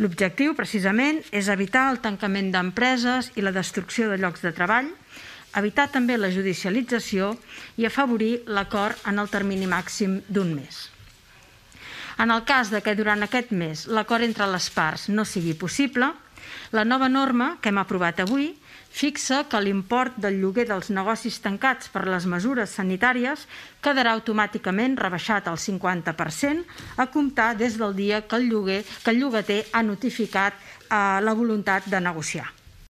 L'objectiu, precisament, és evitar el tancament d'empreses i la destrucció de llocs de treball, evitar també la judicialització i afavorir l'acord en el termini màxim d'un mes. En el cas que durant aquest mes l'acord entre les parts no sigui possible, la nova norma que hem aprovat avui fixa que l'import del lloguer dels negocis tancats per les mesures sanitàries quedarà automàticament rebaixat al 50% a comptar des del dia que el llogater ha notificat la voluntat de negociar.